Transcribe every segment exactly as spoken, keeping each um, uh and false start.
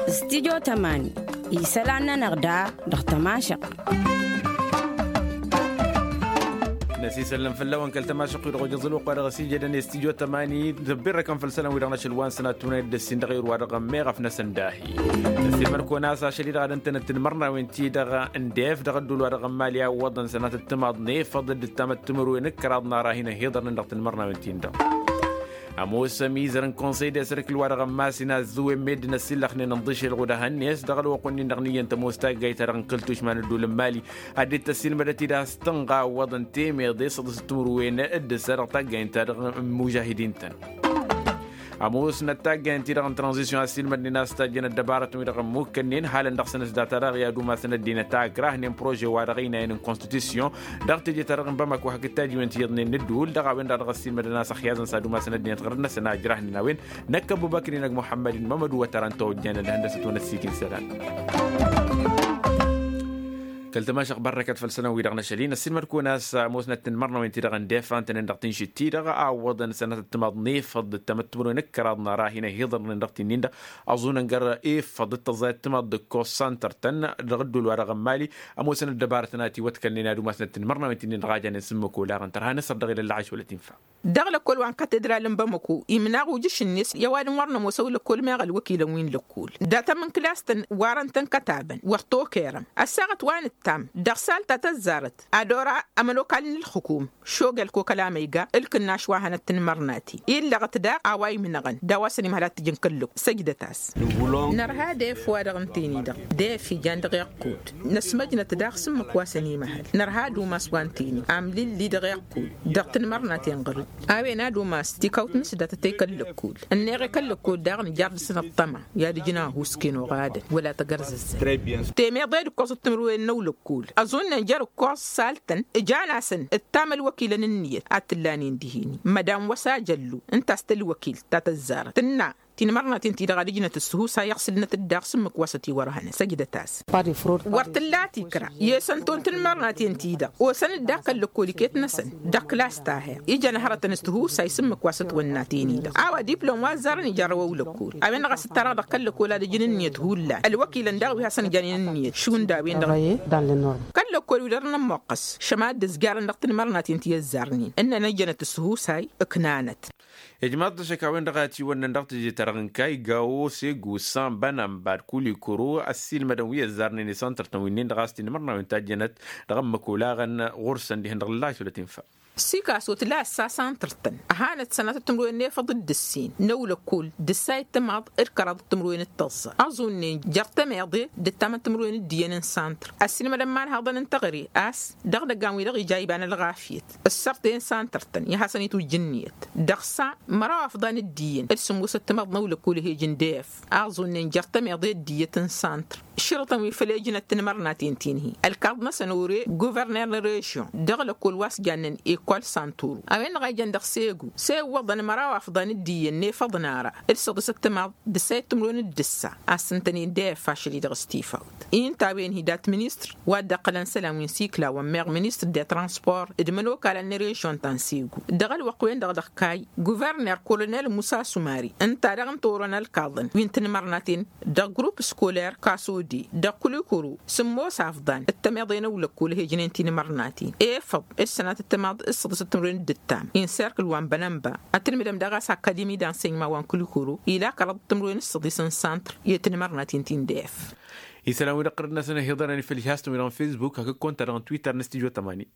Studio tămani isălan-nănăɣ da dăɣ-tămašăɣt. Năsisăllăm făll-a-wen kăl-tămašăɣt-wi dăɣ-ojăẓ ălwăqq wa dăɣ-s ijădăn i-studio tămani tăbbirrăkăn făll-isălan-wi-dăɣ n-ašăl wa n-sănat tunăyăt d-ăssin dăɣ-irwa dăɣ-ămmeɣ afnăsăn dahi. Năssimăr-kăwăn a-s ašăl-i-dăɣ ad-ǝntănăt tinmărnawen-ti-dăɣ n-def dăɣ-ădduul wa dăɣ-ămmali a ǝwwăḍăn sănatăt timaḍ n-efăḍ d-ǝttamăt timǝrwen d-kăraḍ n-ara hin-ăhiḍărnen dăɣ-tinmărnawen-tin-dăɣ. Ămoos ămizăr n-konsăy d-esrǝkǝl wa dăɣ-ămmas inazzǝwen meddǝn ăsillăxnen ǝnḍǝšel ɣud ehăn-net dăɣ-ălwăqq-wen-dăɣ n-iyyăn tămoos taggayt-ta-dăɣ n-kăl-tušma n-ădduul n-mali ad-dd-tăssin mădăt-dd a-s tǝnɣa ǝwwăḍăn temeḍe s-ăḍǝs timǝrwen d-ǝssa dăɣ-taggayt-ta-dăɣ n-imužahidin-tăn. Ămoosnăt taggayt-ti-dăɣ n-tranzisyon ăssiilmădnen a-s tajjăn ăddăbarătăn-wi-dăɣ ămmukkănnen halăn dăɣ-săn s-data-dăɣ i-ad-umasăn ăddinăt a ǝkrahnen prože wa dăɣ-ăynayăn n-konstitusyon dăɣ-teje-ta-dăɣ n-bamako hakd tajiwen ti iyyăḍnen n-ǝddul dăɣ-a-wen-dăɣ dăɣ-ăssiilmădăn a-s ăxyaẓăn s-ad-umasăn ăddinăt ɣărăt-năsăn a ǝjrahnen a-wen. Năkk ăbubăkri n-ăgg muḥămmăd-in mămădu wătărăn tawăjjăn ălhăndăsăt-wăn ăssiikin isălan. Kăl-tămašăɣ bărrăkăt făll-isălan-wi-dăɣ n-ašăl-in ăssiilmăd-kăwăn a-s ămoosnăt tinmărnawen-ti-dăɣ ǝndefan-tăn-en dăɣ-tinšit-ti-dăɣ a ǝwwăḍăn sănatăt timaḍ n-efăḍ d-tamăttimrăwen d-kăraḍ n-ara hin-ăhiḍărnen dăɣ-tinnin-dăɣ ăẓunăn gar-efăḍ d-tăẓẓayăt timaḍ d-ǝkkoẓ santăr-tăn dăɣ-ădduul wa dăɣ-ămmali. Ămoosăn ăddăbarătăn a ătiwătkălnen ad-umasnăt tinmărnawen-ti-nin-dăɣ a janen s-ǝmmǝk olaɣăn tărha n-asăr dăɣ-ila ălɣaš wăla tinfa. Dăɣ-lăkkol wa n-katedral n-bamăko imnaɣ ujǝš-net i-ăwadǝm wăr nămoos ăwlăkkol meɣ ălwăkilăn wi n-lăkkol datăm n-klas-tăn warăn-tăn kătabăn wăr t-okerăm ăssaɣăt wa nǝttam dăɣ-sal ta tăzzarăt ad-ora ămănokal n-ǝlxǝkum šogel kokăl amăyga ǝlkǝnnaš wa hănăt tinmărnaten illăɣăt daɣ a-wa imnăɣăn d-a-wa săn imhăl ad-t-ǝjǝn kăl-lăkkol săjdăt-as. Nărha d-ef-wa-dăɣ ǝnta-en-i-dăɣ d-ef ijan dăɣ-iqqud năsmăjnăt daɣ s-ǝmmǝk wa săn imhăl nărha ad-umas wa ǝnta-en-i amlilli dăɣ-iqqud dăɣ-tinmărnaten ɣăr-dd a-wen ad-umas tikawt n-sǝddatăt i-kăl-lăkkol ǝnneɣ i-kăl-lăkkol daɣ nǝjar dăɣ-săn ăṭṭăma i-ad-ǝjǝn ahus kăy-inoɣadăn wăla tăgărzăzzăn. Temeḍe d-ǝkkoẓăt timǝrwen n-ăwlăkkol ăẓunnen jer-ǝkkoẓ sal-tăn ǝjan-asăn ǝttam ălwăkilăn ǝnniyăt ad-t-ǝllanen dihen-i mădan wăs-ajăllu ǝnta a-s tălwăkilt ta tăzzarăt tǝnna tinmărnaten-ti-dăɣ ad-ǝjnăt ǝssǝhusay ăɣsǝlnăt-dd daɣ s-ǝmmǝk wa s-ătiwărhănăn săjdăt-as. Wăr tǝlla tikra i-esănto n-tinmărnaten-ti-dăɣ osăn-dd akăl lăkkol iket-năsăn dăɣ-klas ta her ijăn hărătăn s-tihusay s-ǝmmǝk wa s-ătwănnaten-i-dăɣ a-wa diplom wa ăzzarăn ija ărrăw ăwlăkkol a-wen-dăɣ a-s ǝttarăɣ dăɣ-kăl-lăkkol ad-ǝjǝn ǝnniyăt hullan ălwăkilăn daɣ wi hasăn-ǝjănen ǝnniyăt šund a-wen-dăɣ. Kăl-lăkkol wi dăr-nănn muqqăs šăma dd-ǝzjarăn dăɣ-tinmărnaten ti ăzzarnen ǝnnăn ăjjănăt s-tihusay ǝknanăt. Ijmaḍ-t ăššăk a-wen-dăɣ a ătiwănnăn dăɣ-teje-ta-dăɣ n-kayga osegu sanbănănba d-kulikuru ăssiilmădăn wi ăzzarnen i-santăr-tăn wi-nin-dăɣ a-s tinmărnawen tajjănăt dăɣ-ămmăk olaɣăn ɣur-săn dihen-dăɣ ǝllaš wăla tinfa. Sikaso tǝla ăssa santăr-tăn ăhanăt sănatăt timǝrwen n-efăḍ d-ǝssin n-ăwlăkkol d-ǝssay d-timaḍ d-kăraḍ timǝrwen d-tăẓẓa ăẓunnen jer-tămeḍe d-ǝttamăt timǝrwen d-iyyăn n-santăr ăssiilmădăn imanhaḍăn n-teɣăre a-s dăɣ-idăggan-wi-dăɣ ija iba n-ălɣafyăt ǝssărtăyăn santăr-tăn i-ad-hasăn-itwǝjja ǝnniyăt dăɣ-sa măraw afḍan d-iyyăn d-sǝmmosăt timaḍ n-ăwlăkkol ih' ijǝn d-ef aẓunnen jer-tămeḍe d-iyyăt n-santăr šărătăn wi făl ejnăt tinmărnaten ti n-hi ălkaḍ-năsăn ore guverner n-režyon dăɣ-lăkkol wa s-jannen ekol santuru a-wen-dăɣ a ijăn dăɣ-segu s-e-iwwăḍăn măraw afḍan d-iyyăn n-efăḍ n-ara d-săḍisăt timaḍ d-ǝssayăt timǝrwen d-ǝssa a-s ǝntănen d-ef ašăl-i-dăɣ s-tifawt. Inta a-wen hi-dat ministăr wa dd-iqqălăn isălan wi n-sikla wa n-meɣ ministăr de transpor d-imănokalăn n-režyon ta n-segu dăɣ-ălwăqq-wen-dăɣ dăɣ-kayy guverner kolonel musa sumari ǝnta daɣ n-torăn ălkaḍăn wi n-tinmărnaten dăɣ-grupp skoler kasode dăɣ-kulikuru sǝmmos afḍan d-tămeḍe n-ăwlăkkol ih' ijnen tinmărnaten efăḍ d-sănatăt timaḍ d-săḍisăt timǝrwen d-ǝttam inserkǝl wa n-bănănba ad-tǝlmǝdăm daɣ a-s akademi d-ansăyma wa n-kulikuru ila kăraḍăt timǝrwen d-săḍis n-santăr i-tinmărnaten ti n-def. Isălan-wi-dăɣ ɣărăt-năsăn ăhiḍărăn i-făll-ihastăn-wi-dăɣ n-fesbuk hakd konta-dăɣ n-twitter n-studio tămani.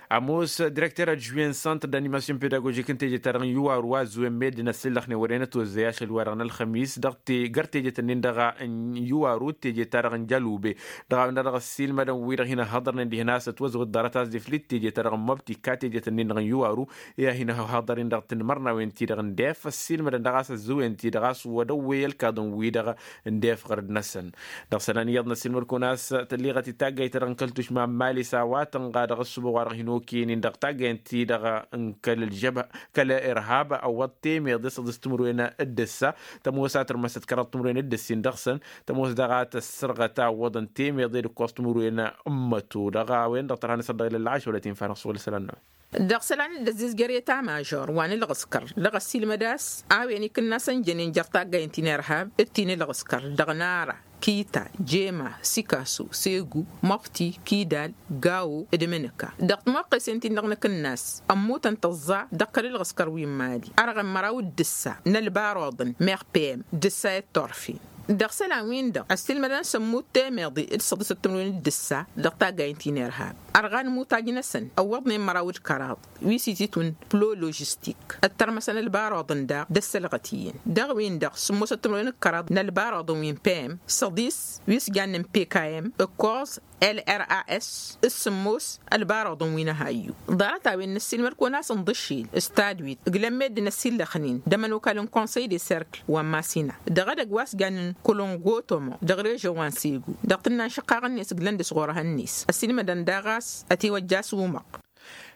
Ămoos direkter adjuwen santăr d-animasyon pedagojik n-teje-ta-dăɣ n-iwaru a ăzzuwen meddǝn ăssillăxnen wăren ătwăzzăy ašăl-wa-dăɣ n-ălxămis dăɣ-te găr tejet-ǝnnin-dăɣ n-iwaru d-teje-ta-dăɣ n-jalube dăɣ-a-wen-dăɣ dăɣ-ăssiilmădăn wi-dăɣ hin-ăhhăḍărnen dihen a-s ătwăzwăḍ ḍarăt a-s d-iflǝt teje-ta-dăɣ n-măbtika tejet-ǝnnin-dăɣ n-iwaru i-ad-hin-ăhhăḍăr-in dăɣ-tinmărnawen-ti-dăɣ n-def ăssiilmădăn dăɣ-a-s ăzzuwen-ti-dăɣ a-s wăr-ăwwey ălkaḍăn-wi-dăɣ n-def ɣărăd-năsăn. Dăɣ-isălan iyyăḍ n-ăssiilmăd-kăwăn a-s tălleɣăt i-taggayt-ta-dăɣ n-kăl-tušma n-mali s-a-wa tănɣa dăɣ-ăssubăɣ wa dăɣ-hin-o Okăyăn-in dăɣ-taggayăn-ti-dăɣ n-kăl-ălžăbha kăl-irhab ăwwăḍ temeḍe s-ăḍis timǝrwen d-ǝssa. Tămoos a tǝrmăsăt kăraḍ timǝrwen d-ǝssin dăɣ-săn. Tămoos daɣ a tăssărɣăt a ǝwwăḍăn temeḍe d-ǝkkoẓ timǝrwen n-imăto dăɣ-a-wen-dăɣ tărha n-asăr dăɣ-ilălla ašăwălăt infa-năɣ s-wăla isălan-năwăn. Dăɣ-isălan d-ăzzizger i-tamăžor wa n-ǝlɣǝskăr dăɣ-ăssiilmăd-as a-wen ikǝnnasăn jănen jer-taggayăn ti n-irhab d-ti n-ǝlɣǝskăr dăɣ-nara kita jema sikaso segu măfti kidal gawo d-imǝnǝka dăɣ-timuqqesen-tin-dăɣ n-akǝnnas. Ămmutăn tăẓẓa dăɣ-kăl-ǝlɣǝskăr wi n-mali ărɣăn măraw d-ǝssa n-ălbaruḍăn meɣ pem d-ǝssa i-ăttorfen. Dăɣ-isălan-win-dăɣ ăssiilmădăn s-ămmut temeḍe d-săḍisăt timǝrwen d-ǝssa dăɣ-taggayăn ti n-irhab. Ărɣan imutaj-năsăn ăwwăḍnen măraw d-kăraḍ wi s-ititwǝn plo ložistik ǝttărmăsăn ălbaruḍăn daɣ d-ăssălɣăt iyyăn dăɣ-win-dăɣ sǝmmosăt timǝrwen d-kăraḍ n-ălbaruḍăn wi n-pem săḍis wi s-jannen pkm ǝkkoẓ lras s-sǝmmos ălbaruḍăn wi n-ahayyu. Ḍarăt-a-wen n-ăssiilmăd-kăwăn a-s ǝnḍǝššel s-tadwit ǝglămmed d-inăsillăxnen d-ămănokal n-konsăy de serkǝl wa n-masina dăɣ-edăgg wa s-jannen kolongotomo dăɣ-režon wa n-segu dăɣ-tǝnna n-išǝqqaɣ-net ǝglăn dăɣ-s ɣur-ehăn-net ăssiilmădăn daɣ a-s ătiwăjja s-umăɣ.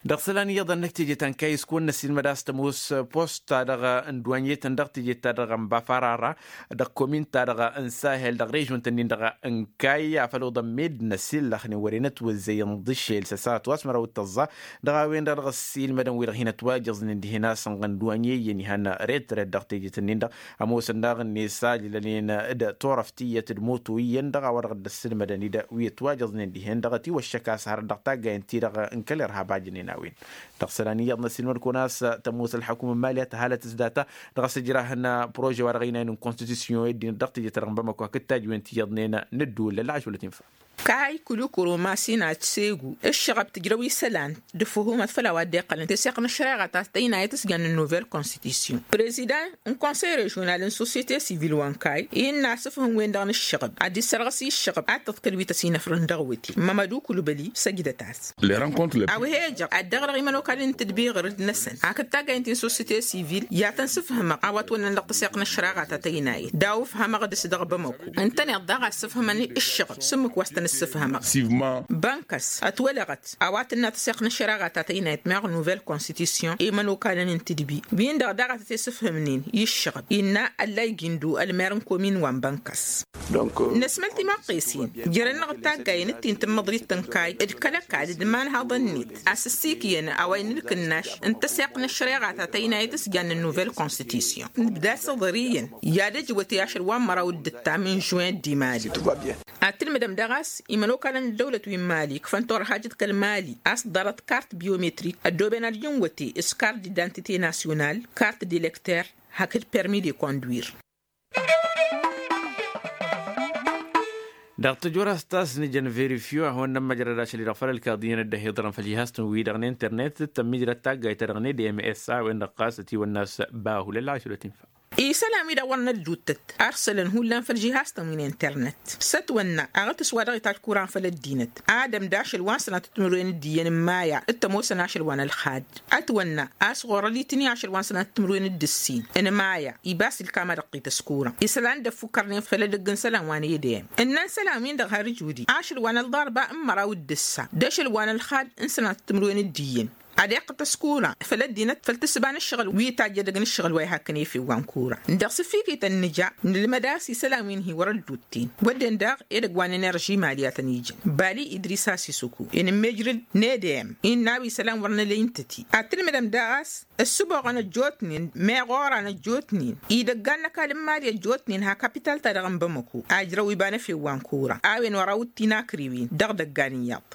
Dăɣ-isălan iyyăḍ ănnăk teje ta n-kayǝs kăwăn-năssiilmăd a-s tămoos posta dăɣ-n duwănyetăn dăɣ-teje-ta-dăɣ n-bafarara dăɣ-komin-ta-dăɣ n-sahel dăɣ-režon-tăn-in-dăɣ n-kayy afăl oḍăn med n-ăsillăxnen wăren ătwăzzăy ǝnḍǝššel s-ăsatwa s-măraw d-tăẓẓa. Dăɣ-a-wen-dăɣ dăɣ-ăssiilmădăn wi-dăɣ hin-ătwajăẓnen dihen a-s ǝnɣăn duwănye iyyăn ihăn retret dăɣ-teje-tăn-in-dăɣ ămoosăn daɣ-net a jǝlănen d-turăft tiyyăt d-moto iyyăn dăɣ-a-wa dăɣ-dd-ăssilmădăn-dd wi ătwajăẓnen dihen-dăɣ ătiwăššăk a-s hărăt dăɣ-taggayăn-ti-dăɣ n-kăl-irhab a jănen a-wen. Dăɣ-isălan iyyăḍ n-ăssiilmăd-kăwăn a-s tămoos ălḥăkum n-mali a tăhalăt s-data dăɣ-asǝjrah n-prože wa dăɣ-ăynayăn n-konstitusyon i-ăddinăt dăɣ-teje-ta-dăɣ n-bamăko hakd tajǝwen ti iyyăḍnen n-ǝddǝwǝl lălɣaš wăla tinfa. Kayy kǝlukǝro masina d-segu ǝššăɣăb tǝjrăw isălan d-ǝfhumăt făll-a-wa dd-iqqălăn teseɣt n-ăššăreɣa ta tăynayăt s-jannen n-novel konstitusyon. Prezidăn n-konsăy režional n-sosyete sivil wa n-kayy innă asǝfhǝm-wen-dăɣ n-ǝššăɣăb ad-dd-sărɣǝs i-ǝššăɣăb ad-tăḍkăl wi tăsinăfrăn dăɣ-wăte. Mămădu kǝlubăli săjdăt-as. A-wa he-ijăɣ ad-dd-ăɣrăɣ imănokalăn n-tǝdbi ɣǝr-dd-năsăn hakd taggayăn ti n-sosyete sivil i-ad-tăn-sǝfhǝmăɣ a-wa ătwănnăn dăɣ-tăseɣt n-ăššăreɣa ta tăynayăt d-awǝfhămăɣ dăɣ-s dăɣ-bamăko. Ǝntăneḍ daɣ a ăssǝfhǝmăn ǝššăɣăb s-ǝmmǝk wa s-tăn-ǝssǝfhămăɣ. Bănkăs ătwălăɣăt a-wa tǝnna tăseɣt n-ăššăreɣa ta tăynayăt meɣ novel konstitusyon i-imănokalăn n-tǝdbi-win-dăɣ daɣ a tăt-e-sǝfhǝmnen i-ǝššăɣăb innă ăllay gindu ălmer n-komin wa n-bănkăs. Năsmăl timaqqesen jer-ănn-dăɣ d-taggayăn d-ti n-tǝmmăḍrit n-kayy d-kăl-ăkall d-imanhaḍăn-net a-s ǝssikyăn a-wa innă ǝlkǝnnaš n-tăseɣt n-ăššăreɣa ta tăynayăt s-jannen novel konstitusyon. Nǝbda s-iḍăr iyyăn i-ad-ăj wăte ašăl wa n-măraw d-ǝttam n-žuwen d-imali. Ad-tǝlmǝdăm daɣ a-s imănokalăn n-ăddăwlăt wi n-mali ǝkfăn turhajăt kăl-mali a-s ḍarăt kart biometrik ăddooben ad-ǝjǝn wăte s-kart d-identite nasyonal kart d-elekter hakd permi de konduir. Dăɣ-tăjorăst a-s nǝjăn verifyo ad-hawăn-nămmăjrăd ašăl-i-dăɣ făll-ălkaḍ iyyăn ăddăhiḍărăn făll-jihaz-tăn-wi-dăɣ n-internet d-tămmijrăd taggayt-ta-dăɣ n-edms a-wen-dăɣ ɣas ătiwănna a-s bahu lălɣaš wăla tinfa. Isălan-wi-dăɣ wăren ădduuttăt arsălăn hullan făll-jihaz-tăn wi n-internet s-ătwănna aɣǝtǝs wa dăɣ-itajj kuran făll-ăddinăt. Adăm d-ašăl wa n-sănatăt timǝrwen d-iyyăn n-maya d-tămoosăn ašăl wa n-ălxad. Ătwănna a-s ɣur-ălitǝni ašăl wa n-sănatăt timǝrwen d-ǝssin n-maya ibas ilkam ad-ǝqqităs kuran isălan dd-ăffukkărnen făll-edăgg n-isălan wa n-edem. Ǝnnan isălan-win-dăɣ har ǝjudi ašăl wa n-ălḍarba n-măraw d-ǝssa d-ašăl wa n-ălxad n-sănatăt timǝrwen d-iyyăn ad-iqqǝtăs kuran făll-ăddinăt făll-tǝssǝba n-ǝššăɣǝl wi tajj edăgg n-ǝššăɣǝl wa ihăkkăn efew wa n-kuran. Dăɣ-sǝffikităn nǝja nǝlmăd a-s isălan wi n-hi-wăr-ădduutten wădden daɣ edăgg wa n-enerži mali a tăn-ijăn bali idris a-s isǝku inǝmmejrǝd n-edem innă a-wa isălan wăr nǝla intăti ad-tǝlmǝdăm daɣ a-s ǝssǝboɣăn ăjjootnen meɣ oran ăjjootnen idăggan n-ăkall n-mali ăjjootnen ha kapital-ta-dăɣ n-bamăko ajrăw iba n-efew wa n-kuran a-wen wăr-awǝttin akriwen dăɣ-idăggan iyyăḍ.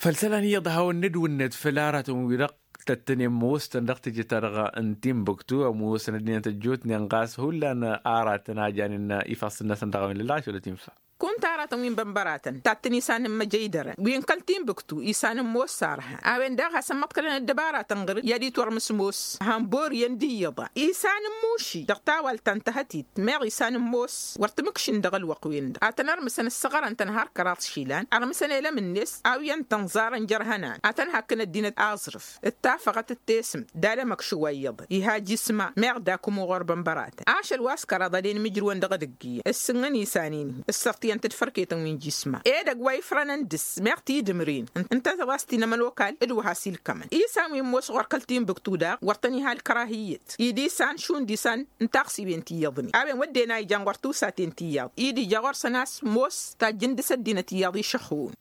Făll-isălan iyyăḍ ad-hawăn-nǝdwǝnnăt făll-aratăn-wi-dăɣ tăttănen ămoostăn dăɣ-teje-ta-dăɣ n-timbuktu ămoosăn ăddinăt ăjjootnen ɣas hullan aratăn a janen ifassăn-năsăn dăɣ-a-wen lălɣaš wăla tinfa. Kunta aratăn wi n-bănbăratăn tattăn isan n-măjăydărăn wi n-kăl-timbuktu isan n-ămoos sarha a-wen daɣ hasăn-măḍkălăn ăddăbaratăn ɣǝr-dd i-ad-itwărmǝs ămoos han bor iyyăn d-iyyăḍ a isan n-muši dăɣ-tawalt ta n-tahătit meɣ isan n-ămoos wăr t-mǝkšǝn dăɣ-ălwăqq-wen-dăɣ a tăn-ărmǝsăn ǝssăɣărăn-tăn har kăraḍ išilan ărmǝsăn elăm-net a-wi ǝntăn ẓarăn jer-ihănan ad-tăn-hakkǝn ăddinăt aẓrǝf d-tafăɣăt d-tesǝmt d-alămăkš wa iyyăḍăn iha jisma meɣ d-akǝmu ɣur-bănbăratăn ašăl wa s-kăraḍ ad-en imǝjrǝwăn dăɣ-edăgg iyyăn ǝssǝnnăn isan-in-hi ǝssărti. iyyăn-t d-fărketăn wi n-jisma edăgg wa ifrănăn dăr-s meɣ tidǝmrin ǝnta a-s ti n-ămănokal d-wa has-ilkămăn isan wi n-ămoos ɣur-kăl-tinbǝktu daɣ wăr tăn-iha ălkărahǝyyăt idisan šund isan n-taɣsiwen ti iyyăḍnen a-wen wădden a ijan ɣur-tusaten ti iyyăḍ i-dd-ija ɣur-săn a-s ămoos tajjǝn dăr-s ăddinăt iyyăḍ išăxxun.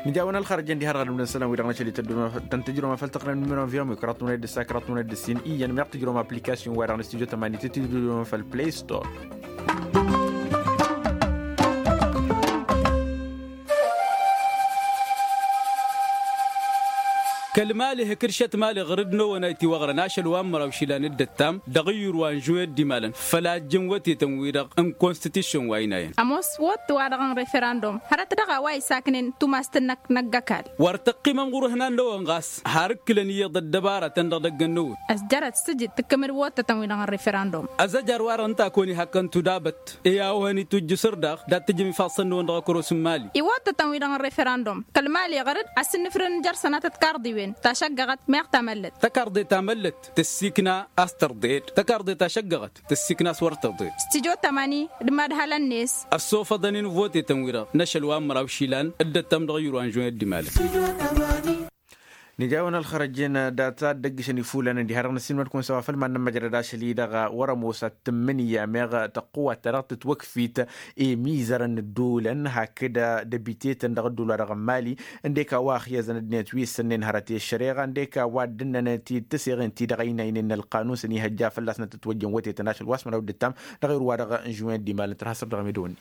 Nǝja-wăn ălxărăjăn diha-dăɣ ad-ǝmdăn isălan-wi-dăɣ n-ašăl i-tăn-tǝjrăwăm afăl tăqqălăn n-imǝnăwăn viyăm wi kăraḍ-tǝmǝnăy d-ǝssa kăraḍ-tǝmǝnăy d-ǝssin iyyăn meɣ tǝjrăwăm application-wa-dăɣ n-studio tămani tǝtǝjrăwăm făll-play store. Kăl-mali hǝkǝršăt mali ɣǝr-dd n-ewăn a itiwăɣrăn ašăl wa n-măraw išilan d-ăttam dăɣ-iyyur wa n-žuwed d-imalăn făl ajjǝn wătetăn-wi-dăɣ n-konstitišyon wa ăynayăn. Ămoos wăt-wa-dăɣ n-referandum hărăt dăɣ-a-wa isaknen tumas tǝnnăk n-ăggăkal. Wăr tăqqimăm ɣur-ihnan n-ewăn ɣas har ǝkkǝlăn iyyăḍ ăddăbaratăn dăɣ-idăggăn n-ewăn. Ăzjărăt s-tǝjǝd tǝkkǝmǝd wăttătăn-wi-dăɣ n-referandum. Ăzăjar-wa-dăɣ ǝnta a kăwăn-ihakkăn tudabăt i-a-wa hăn-itujjǝsăr daɣ dat-tǝjǝm ifassăn-năwăn dăɣ-akăros n-imali. Iwăttătăn-wi-dăɣ n-referandum kăl-imali ɣăr-dd a-s ǝnnǝfrǝn n-jer-sănatăt karḍiwen tašăggăɣăt meɣ tamăllăt. Takarḍe tamăllăt tǝssikna a-s tărḍed takarḍe tašăggăɣăt tǝssikna a-s wăr tărḍed. Studio tămani d-imadhălăn-net. Ăssofăḍăn-in votetăn-wi-dăɣ n-ašăl wa n-măraw išilan dd-ăttăm dăɣ-iyyur wa n-žunet d-imalăn. Nǝja-wăn ălxărăjen data dd-ăggǝšăn ifulăn ǝndi har dăɣ-nǝssinmăd-kăwăn s-a-wa făl mad-nămmăjrăd ašăl-i-dăɣ wăr-ămoos ad-tǝmmǝnǝya meɣ tăqqǝwat ta dăɣ-tǝtwăkfit i-imizărăn n-ǝddulăn hakd dăbitetăn dăɣ-ǝddul wa dăɣ-n mali. Ǝndek a-wa ăxyăzăn ăddinăt wi ǝssǝnnen hărăt i-ăššăreɣa ǝndek a-wa dd-ǝnnănăt-dd tǝseɣen-ti-dăɣ ăynaynen n-ălqanun s-ănihăjja fălla-săn tǝtwăjjăn wătetăn ašăl wa s-măraw dd-ǝttam dăɣ-irwa dăɣ-n žuwen d-imalăn tărha săr dăɣ-emedăwănni.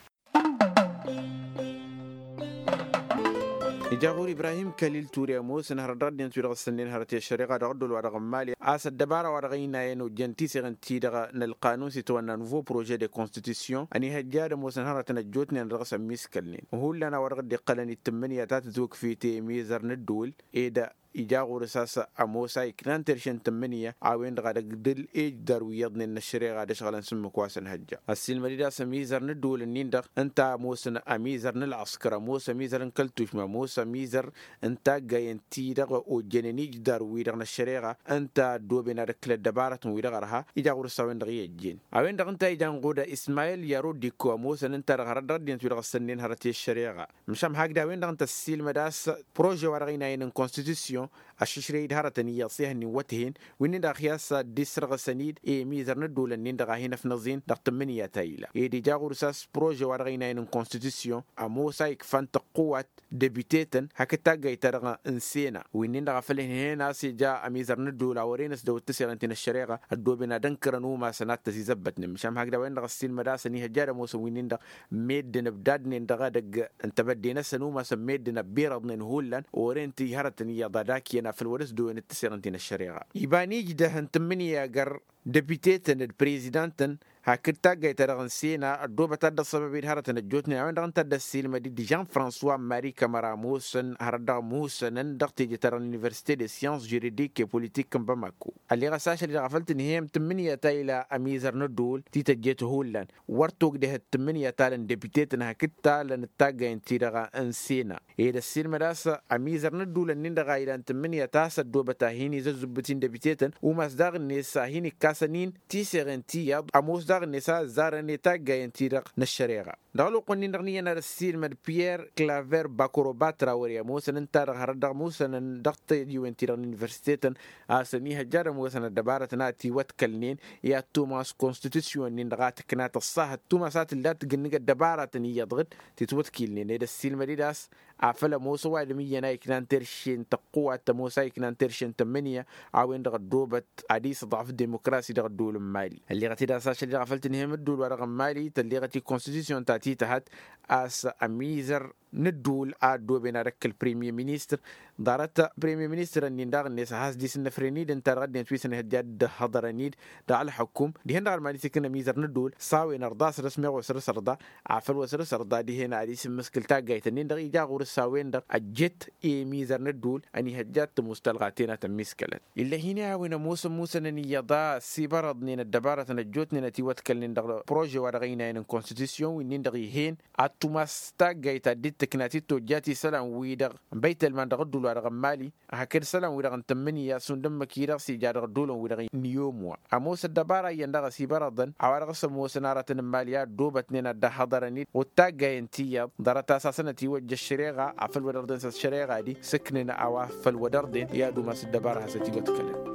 Ija ɣur-ibrahim kalil ture ămoosăn hărăt dăɣ-ăddinăt wi-dăɣ ǝssǝnnen hărăt i-ăššăreɣa dăɣ-ăddol wa dăɣ-n mali a-s ăddăbara wa dăɣ-ăynayăn ojjăn tiseɣen-ti-dăɣ n-ălqanun s-itwănna nouveau projet de constitution ănihăjja ad-ămoosăn hărătăn ăjjootnen dăɣ-s ămmiiskălnen hullan a-wa dăɣ-dd-iqqălăn i-tǝmmǝnǝya ta tǝtwǝkfit i-imizăr n-ǝddǝwǝl ed ija ɣur-s a-s ămoos a iknan terše n-tǝmmǝnǝya a-wen-dăɣ a dăgg-dăl i-ǝjdar wi iyyăḍnen n-ăššăreɣa d-ăšɣălăn s-ǝmmǝk wa s-ănhăjja. Ăssiilmăd-dd a-s ămizăr n-ǝddǝwǝl-nin-dăɣ ǝnta a ămoosăn ămizăr n-ălɣăskăr ămoos ămizăr n-kăl-tušma ămoos ămizăr n-taggayen-ti-dăɣ ojjănen ijǝdar-wi-dăɣ n-ăššăreɣa ǝnta ăddooben ad-ǝkkǝl ăddăbarătăn-wi-dăɣ ărha. Ija ɣur-s a-wen-dăɣ i-ăjjeen a-wen-dăɣ ǝnta a ijan ɣuda ismayil yarodiko ămoosăn ǝnta-dăɣ hărăt dăɣ-ăddinăt-wi-dăɣ ǝssănnen hărăt i-ăššăreɣa. Măšan hakd a-wen-dăɣ ǝnta ăssiilmăd a-s prože-wa-dăɣ ăynayăn n-konstitusyon ăššǝšrăy-dd hărătăn iyyăḍ s-ehăn-in wăt-hen wi-nin-dăɣ a hi-ass dd-isrăɣǝsăn-dd i-imizăr n-ǝddulăn-nin-dăɣ a hin-ăfnăẓen dăɣ-tǝmmǝnǝya ta ila ed ija ɣur-s a-s prože-wa-dăɣ ăynayăn n-konstitusyon ămoos a ikfan tăqqǝwat dăbitetăn hakd taggayt-ta-dăɣ n-sena wi-nin-dăɣ a făl ǝnhăyăn a-s ija ămizăr n-ǝddul a wăren s-dăw-dd tǝseɣen ti n-ăššăreɣa ăddooben ad-ǝnkărăn umasăn ad-tăzizăbbătnen măšan hakd a-wen-dăɣ ăssiilmăd a-s ănihăjja ad-ămoosăn wi-nin-dăɣ meddǝn ǝbdadnen dăɣ-edăgg n-tebădde-năsăn umasăn meddǝn ăbbirăḍnen hullan oren-t i-hărătăn iyyăḍ ad-ak iyyăn afăl wăr-s dăwen d-tǝseɣen ti n-ăššăreɣa. Iba n-ijdăh n-tǝmmǝnǝya gar dăbitetăn d-prezidantăn hakd taggayt-ta-dăɣ n-sena ăddoobăt ad-dd-ăṣṣăbăb-dd hărătăn ăjjootnen a-wen-dăɣ ǝnta a dd-ăssiilmăd-dd žan-fransois mari kămăra ămoosăn hărăt dăɣ-musănăn dăɣ-teje-ta-dăɣ n-universite de science juridique et politique n-bamako. Ălleɣ-as ašăl-i-dăɣ a făl tǝnhăyăm tǝmmǝnǝya ta ila ămizăr n-ăddul ti tăjjet hullan wăr togdăhăt tǝmmǝnǝya ta lăn dăbitetăn hakd ta lăn d-taggayăn-ti-dăɣ n-sena ed ăssiilmăd a-s ămizăr n-ăddulăn-nin-dăɣ a ilan tǝmmǝnǝya ta s-ăddoobăt a hin-izăzzǝbbǝt-in dăbitetăn umas daɣ-net a hin-ikkasăn-in tiseɣen ti iyyăḍ ămoos daɣ-net a ăzzarăn i-taggayăn-ti-dăɣ n-ăššăreɣa. Dăɣ-ălwăqq-wǝnnin-dăɣ n-iyyăn ad-ăssiilmăd piyer klaver bakorobatra wăr-i ămoosăn ǝnta-dăɣ hărăt dăɣ-musănăn dăɣ-tăjiwen-ti-dăɣ n-universitetăn a-s ănihăjja ad-ămoosăn ăddăbarătăn a ătiwătkălnen i-ad-tumas konstitusyon-nin-dăɣ a tǝkna tăṣṣahăt tumas a tǝlla tǝgǝnnǝg ăddăbaratăn iyyăḍ ɣǝd tǝtwătkilnen ed ăssiilmăd-dd a-s afăl ămoos ăwadǝm iyyăn a iknan terše n-tăqqǝwat ămoos a iknan terše n-tămmǝnǝya a-wen-dăɣ ăddoobăt ad-isǝḍɣăf demokrasi dăɣ-ăddul n-mali. Ălleɣăt-dd a-s ašăl-i-dăɣ a făl tǝnhăyăm ăddul wa dăɣ-n mali tălleɣăt i-konstitusyon ta tităhăt a-s ămizăr n-ăddul a ăddooben ad-ăkk ălpremye ministăr ḍarăt premye ministăr-nin daɣ-net a has-dd-isǝnnăfren-dd ǝnta dăɣ-ăddinăt wi s-ănhăjja dd-ăhhăḍărăn-dd dăɣ-ălḥăkkum dihen-dăɣ ălman isikǝn ămizăr n-ăddul s-a-wen ărḍa săr-s meɣ wa săr-s ărḍa afăl wa săr-s ărḍa dihen ad-isǝmmǝskǝl taggayt-nin-dăɣ ija ɣur-s a-wen-dăɣ ăjjet i-imizăr n-ăddul ănihăjja ad-tămoos talɣa tenat ămmiskălăn. Ill'-e-hin i-a-wen ămoosăn musănăn iyyăḍ a ăssibărăḍnen ăddăbarătăn ăjjootnen ătiwătkălnen dăɣ-prože wa dăɣ-ăynayăn n-konstitusyon wi-nin-dăɣ ih'-en ad tumas taggayt ta dd-tǝkna ti tojjat isălan-wi-dăɣ n-băytălman dăɣ-ǝddul-wa-dăɣ n-mali. Hakd isălan-wi-dăɣ n-tǝmmǝnǝya šund ǝmmǝk-i-dăɣ s-ija dăɣ-ăddolăn-wi-dăɣ n-iyyom wa ămoos ăddăbara iyyăn dăɣ-ăsibărăḍăn a-wa dăɣ-s ămoosăn aratăn n-mali a ăddoobătnen ad-dd-ăhhăḍărăn-dd. Wăr taggayăn tiyyăḍ ḍarăt-as hasăn-ătiwăjja ăššăreɣa afăl wăr-dăɣ-den s-ăššăreɣa-di sǝknǝn a-wa făl wăr-dăɣ-den i-ad-umas ăddăbara hasăn-ătiwăḍkălăn.